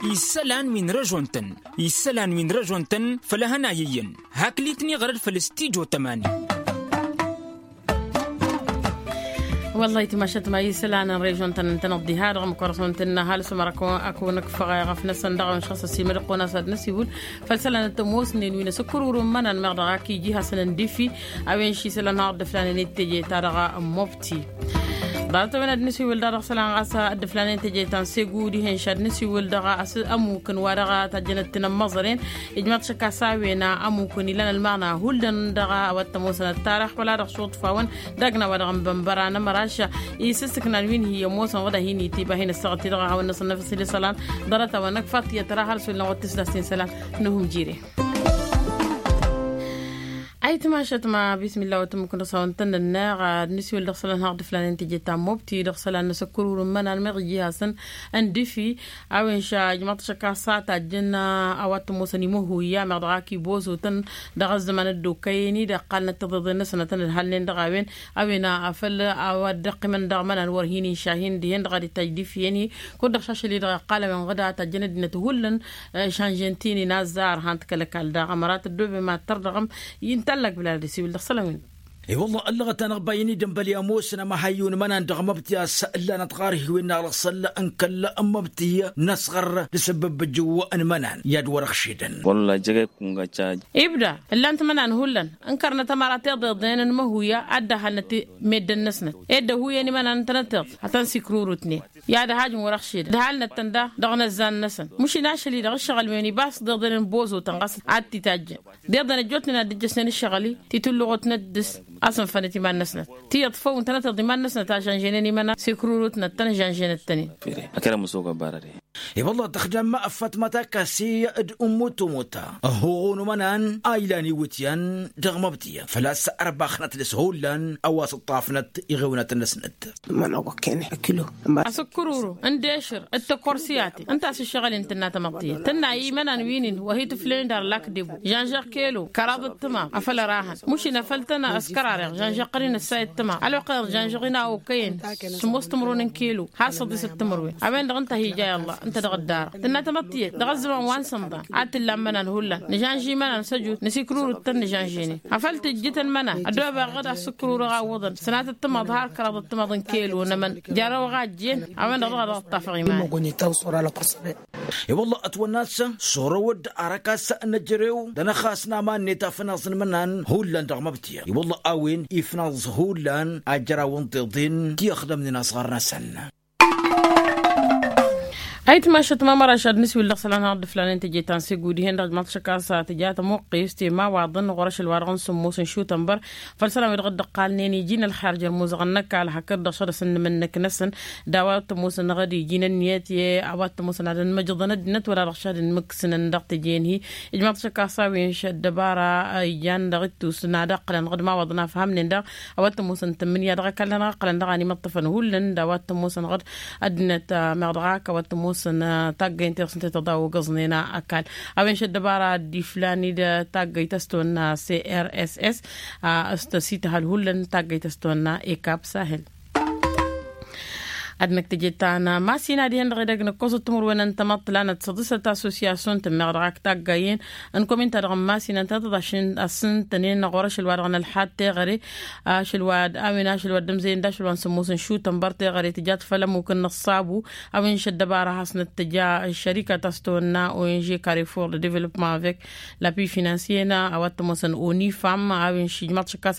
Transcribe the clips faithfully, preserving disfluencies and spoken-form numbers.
Isălan wi n-režon-tăn isălan wi n-režon-tăn făll-ehăn a iyyăn. Hakli-tăn iɣrăd făll-stijo tămani. Wăllah itmašăt ma isălan n-režon-tăn ǝntăneḍ diha-dăɣ măkăr-săn tǝnna hal s-măra. Akăwăn-ǝkfăɣ eɣăf-năsăn dăɣ-a-wen šăɣ s-ăsimădăɣ kăwăn-as ad-năsiwǝl făll-isălan n-tămoosnen wi n-asǝkkărurǝm imănan meɣ dăɣ-ak iji hasăn-ăndǝfi. A-wen ši isălan har dd-ǝflanen i-teje-ta-dăɣ n-mobti. Ḍarăt-a-wen ad-nǝsiwǝl daɣ dăɣ-isălan ɣas dd-ǝflanen teje ta n-segu dihen š-ad-nǝsiwǝl dăɣ-a-s ămukǝn wa dăɣ-tajjănăt tinămmăẓăren. Ijmaḍ šăkk a-s a-wen ămukǝn ilan ălmaɣna hullan dăɣ-a-wa t-ămoosăn ăttarăx wăla dăɣ-suḍfa-wăn d-agna wa dăɣ-n bănbăra n-amăraš. Isǝssǝknan wi n-hi-ămoosăn wădda hin-itiba hin-ăssaɣăt-i-dăɣ a hawăn-năsăn năfăs ila isălan. Ḍarăt-a-wen ăkfat tiyyăt tăra har s-wăllan wăr tǝsdastin isălan. N-uhǝm jire. Ayǝtmašăt ma bismillah wa tǝmmǝk n-dăɣ-s a-wa n-tăn-nănneɣ ad-nǝsiwǝl dăɣ-isălan har dd-ǝflanen teje ta n-mobti dăɣ-isălan n-asǝkkărurǝm imănan meɣ iji hasăn-ăndǝfi. A-wen š-ajmăḍ šăkk a-s a tajjăn a-wa t-ămoosăn imăhuya meɣ dăɣ-ak ibozotăn dăɣ-ăzzăman ăddokkăyăn-i d-ăqqalnăt tiḍeḍen-năsăn ad-tăn-ǝdhălnen dăɣ-a-wen. A-wen a făl a-wa dd-ăqqimăn dăɣ-imănan wăr hin-inšahin dihen-dăɣ ad-itajj d-ifyăn-hi. Kud-dăɣ šašăl-i-dăɣ iqqal a-wen ɣǝda tajjăn ăddinăt hullan. Šanžen ti n-inazzar han-t kăl-ăkall daɣ ămăra tăddoobem ad-tăr dăɣ-m. Intallak bǝlal ad-isiwǝl dăɣ-isălan-win. I-wălla ăllăɣăt-anăɣ bayăn-i d-ănbăl i-ămoosăn ămăhayyu n-imănan dăɣ-măbti a-s ǝllanăt ɣar-hi wi n-alăṣăl n-kăl-măbti n-asɣăr d-asǝbbǝb ǝjǝw n-imănan i-ad-wăr-ăɣšidăn. Wălla jăgg-e kunga ca. Ibda ǝllan-t imănan hullan ǝnkărnăt ămăra tiḍeḍen n-imăhuya ad-dd-ăhalnăt meddǝn-năsnăt ed ăhuyen imănan ǝntănăt tiḍt ad-tăn-sikrurutnen. I-ad-ăhajǝm wăr-ăɣšidăn ǝdhalnăt-tăn daɣ dăɣ-inăzzan-năsăn. Măšin ašăl-i-dăɣ ǝššăɣǝl-wen ibas tiḍeḍen n-bozoten ɣas ad-t-itajjăn. Tiḍeḍen ăjjootnen ad-dd-ǝjjăsnen ǝššăɣǝl-i titǝlluɣăt n-ăddǝs. A-s ǝnfănăt iman-năsnăt tiyyăḍ făw ǝntănăt tiḍ iman-năsnăt a žănženen imănan sikrurutnăt-tăn žănženăt-tăn-in. Akăl ămăsoga barăre. I-wălla tăxdam ăffăt ma takkasi d-ummutumut ăhhuɣu n-umănan a ilan iwǝtyan dăɣ-măbtǝyăn făl-a-s ărbaxnăt dăɣ-s hullan a-wa s-ǝṭṭafnăt iɣewnătăn-năsnăt. Asǝkkăruru n-dešăr d-tăkkorsiyate ǝnta a-s ǝššăɣǝl-in tǝnna tamăḍtiyăt tǝnna i-imănan wi-nin wa hi-tǝflăyăn d-arlak debo žănžăɣ kelo kăraḍăt tǝma afăl ărahăn măšin afăl tăn-ăskărareɣ žănžăɣ qăr-in ăssayăt tǝma ălwăqq-i-dăɣ žănžăɣ-in a okăyăn sǝmmos timǝrwen n-kelo har săḍisăt timǝrwen. A-wen-dăɣ ǝnta a hi-ja i-ăllah ǝnta dăɣ-ăddarăɣ tǝnna tamăḍtiyăt dăɣ-ăzzăman wa n-sănḍan ad-t-ǝllan imănan hullan nǝžănžimănan săjut nǝsikrurǝt-tăn nǝžănžene. Afăl tǝjjǝtăn imănan ăddoobeɣ ɣǝd asǝkrurăɣ awwăḍăn sănatăt timaḍ har kăraḍăt timaḍ n-kelo n-emăn. Jarăwăɣ a ǝjjen a-wen-dăɣ dăɣ-a dăɣ-ăṭṭafăɣ iman. I-wălla ătwănna a-s s-orăwăd arăk a-s năjrew d-anăxxas n-aman-net afnaẓ n-imănan hullan dăɣ-măbtiyăn i-wălla a-wen ifnaẓ hullan ajraw n-tiḍen ti ăxdămnen asɣar-năsăn. Ayǝtmašăt mamăraš ad-nǝsiwǝl dăɣ-isălan har dd-ǝflanen teje ta n-segu dihen-dăɣ ǝjmaḍ šăkk a-s tǝja tămuqqist i-imawaḍăn ɣur-ašăl wa dăɣ-n sǝmmos n-išutănbăr. Făll-isălan wi-dăɣ dd-ǝqqalnen iji n-ălxer jer-imuzăɣăn n-ăkall hakd-dăɣ šăd-asăn n-imǝnnǝk-năsăn d-a-wa t-ămoosăn ɣǝd iji n-ǝnniyăt i-a-wa t-ămoosăn ad-ănmăjăḍăn ăddinăt wăla dăɣ-šad ǝnmǝksǝnăn dăɣ-teje-in-hi. Ijmaḍ šăkk a-s a-wen š-ăddăbara ijan dăɣ-ittus n-ad-ăqqǝlăn ɣǝd imawaḍăn a ăfhămnen daɣ a-wa t-ămoosăn tǝmmǝnǝya dăɣ-ăkall-nănăɣ ăqqǝlăn dăɣ-a n-imǝṭṭăfăn hullan d-a-wa t-ămoosăn ɣǝd ăddinăt meɣ dăɣ-ak a-wa t-ămoosăn taggăyăn tiɣsǝn tetăḍa ogăẓnen ăkall. A-wen š-ăddăbara ad-dd-iflan-dd taggăyt a-s tăwănna crss a s-tăsităhăl hullan taggăyt a-s tăwănna ekab sahel. Ad-năkk teje ta n-masina dihen-dăɣ edăgg nǝkkosăt timǝrwen n-tamăḍt lanăt săḍisăt assosyasyon-tăn meɣ dăɣ-ak taggayen n-komin-ta-dăɣ n-masina ǝntănăt ad-asǝntănen ɣur-ašăl wa dăɣ-nălxad teɣăre. Ašăl wa d-a-wen ašăl wa dd-ămzăyăn d-ašăl wa n-sǝmmos n-išutăn băr teɣăre tǝjat făll-ămmuk n-ăṣṣabu. A-wen šăddăbara hasnăt tǝja ăššărikăt a-s tăwănna ong karefor de development avec lapui finansiyena a-wa t-ămoosăn onifam a-wen šijmaḍ šăkkas.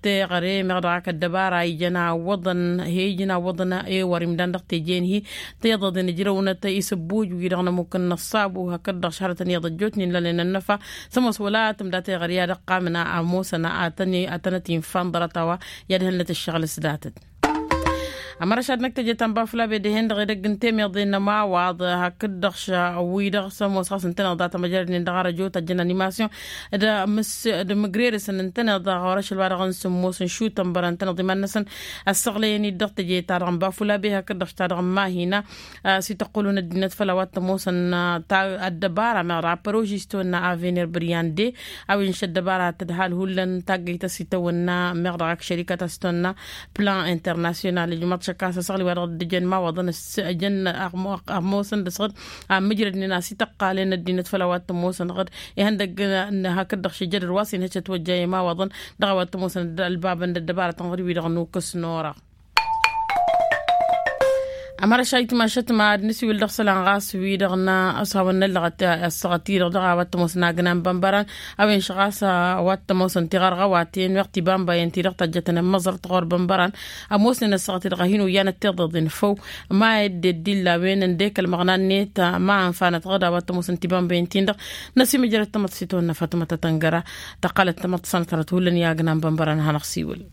Teɣăre meɣ dăɣ-ak ăddăbara ijăn awwăḍăn he-ijăn awwăḍăn ewăr imdan dăɣ-teje-in-hi. Tiḍăḍen ǝjrăwnăt isǝbbuj wi-dăɣ n-ămmuk n-ăṣṣabu hakd-dăɣ šăhrătăn iyyăḍ ăjjootnen lalăn ănnăfa. Sămoos wăla tǝmda teɣăre i-ad-ăqqamǝn a ămoosăn ad-tăn-ătinfan ḍarăt a-wa i-ad-hălnăt ǝššăɣǝl s-datăt. Ămăra šad-năkk teje ta n-bafulabe dihen-dăɣ edăgg n-temeḍe n-ămawaḍ hakd-dăɣ wi-dăɣ sămoos ɣas ǝntăneḍ data măjrădnen dăɣ-arăjo tajjăn animasyon d-mǝgrerăsăn ǝntăneḍ ɣur-ašăl wa dăɣ-n sǝmmos n-išutăn bărăn ǝntăneḍ iman-năsăn. Ăssăɣlăyăn-dd dăɣ-teje-ta-dăɣ n-bafulabe hakd-dăɣ ta-dăɣ n-mahina. S-ităqqǝlun ăddinăt făll-a-wa t-ămoosăn ta ăddăbara meɣ dăɣ-apărožis tăwănna avener băryande. A-wen š-ăddăbara tǝdhal hullan taggăyt a-s itawănna meɣ dăɣ-ak šărikăt a-s tăwănna plan internasyonal ijmaḍ. Ăkasăsăɣli wa dăɣ-dd-ǝjăn imawaḍăn s-ăjăn ăɣmo-săn dăɣ-s ɣǝd a mǝjrădnen a-s ităqqalen ăddinăt făll-a-wa t-ămoosăn ɣǝd. Ihăndăgg n-hakd-dăɣ šijădăr wa s-inhăj ătwăjja i-imawaḍăn dăɣ-a-wa t-ămoosăn ălbabăn d-ăddăbarătăn ɣǝd-wi-dăɣ n-ukǝs n-orăɣ. Ămărăš a itmašăt ma ad-nǝsiwǝl dăɣ-isălan ɣas wi-dăɣ n-ăshawăn n-ăllăɣăt ăssaɣăt-i-dăɣ dăɣ-a-wa t-ămoosăn agna n-bănbăran. A-wen šăɣas a-wa t-ămoosăn tiɣărɣăwaten weɣ tibambăyăn-ti-dăɣ tăjjătăn n-imǝẓărt ɣur-bănbăran. Ămoosnen ăssaɣăt-i-dăɣ a hin-oyyanăt tiḍeḍen făw ma edde dd-illa a-wen ǝndek ălmăɣna-net ma ănfanăt ɣǝd a-wa t-ămoosăn tibambăyăn-tin-dăɣ. Năsimǝjrăd tamăḍt s-itwănna fatmăt atăngăra tăqqălăt tamăḍt s-anăt hărăt hullan i-agna n-bănbăran ad-hanăɣ-siwǝl.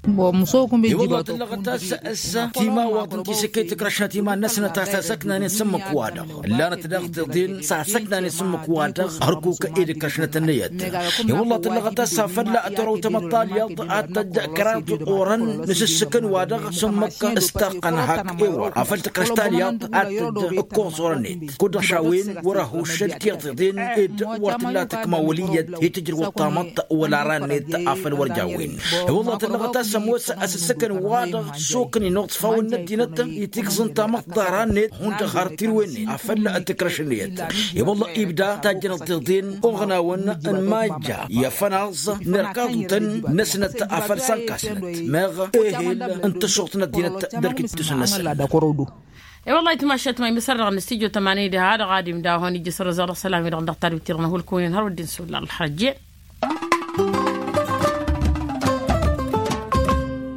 I-wălla tǝllăɣăt a-s s-timawaḍ n-tisǝkka itǝkrăšnăt iman-năsnăt a-s asăknanen s-ǝmmǝk-wa-dăɣ ǝllanăt daɣ tiḍen s-asăknanen s-ǝmmǝk-wa-dăɣ hărkuk ed ǝkrăšnăt-năyăt. I-wălla tǝllăɣăt a-s afăl tărăw tamăḍt talyaḍt ad-tăjj kăraḍ orăn n-asǝssǝkăn-wa-dăɣ s-ǝmmǝk s-taqqăn hak ewăr afăl tǝkrăš talyaḍt ad-tăjj ǝkkoẓ orăn-net kud-dăɣ šawen wăr-ăhuššăl tiḍeḍen ed wăr tǝlla tǝkma wăl' iyyăt i-tǝjrǝwăḍ tamăḍt wăla ran-net afăl wăr jawen. I-wălla tǝllăɣăt a-s ămoos asǝssǝkăn-wa-dăɣ s-okănen oḍfawăn n-ăddinăt itigẓǝn tamăḍt ta ran-net hundăɣ har tirwen-net afăl tǝkrăšăn-net. I-wălla ibda tajjănăt tiḍen oɣnawăn n-majja i-afănaẓ n-irkaḍutăn-năsnăt afăl s-ănkasnăt meɣ ehel n-tăššuɣt n-ăddinăt d-ărkǝjjǝsăn-năsăn. I-wălla itmašat ma imǝsăr-dăɣ n-studyo tămani d-ha-dăɣ ad-imdahăn ijjǝsăr ăẓăr ăssălam-i-dăɣ dăɣ-tadwit-ti-dăɣ n-hulkunin hărwădden s-wălla ălxărăjje.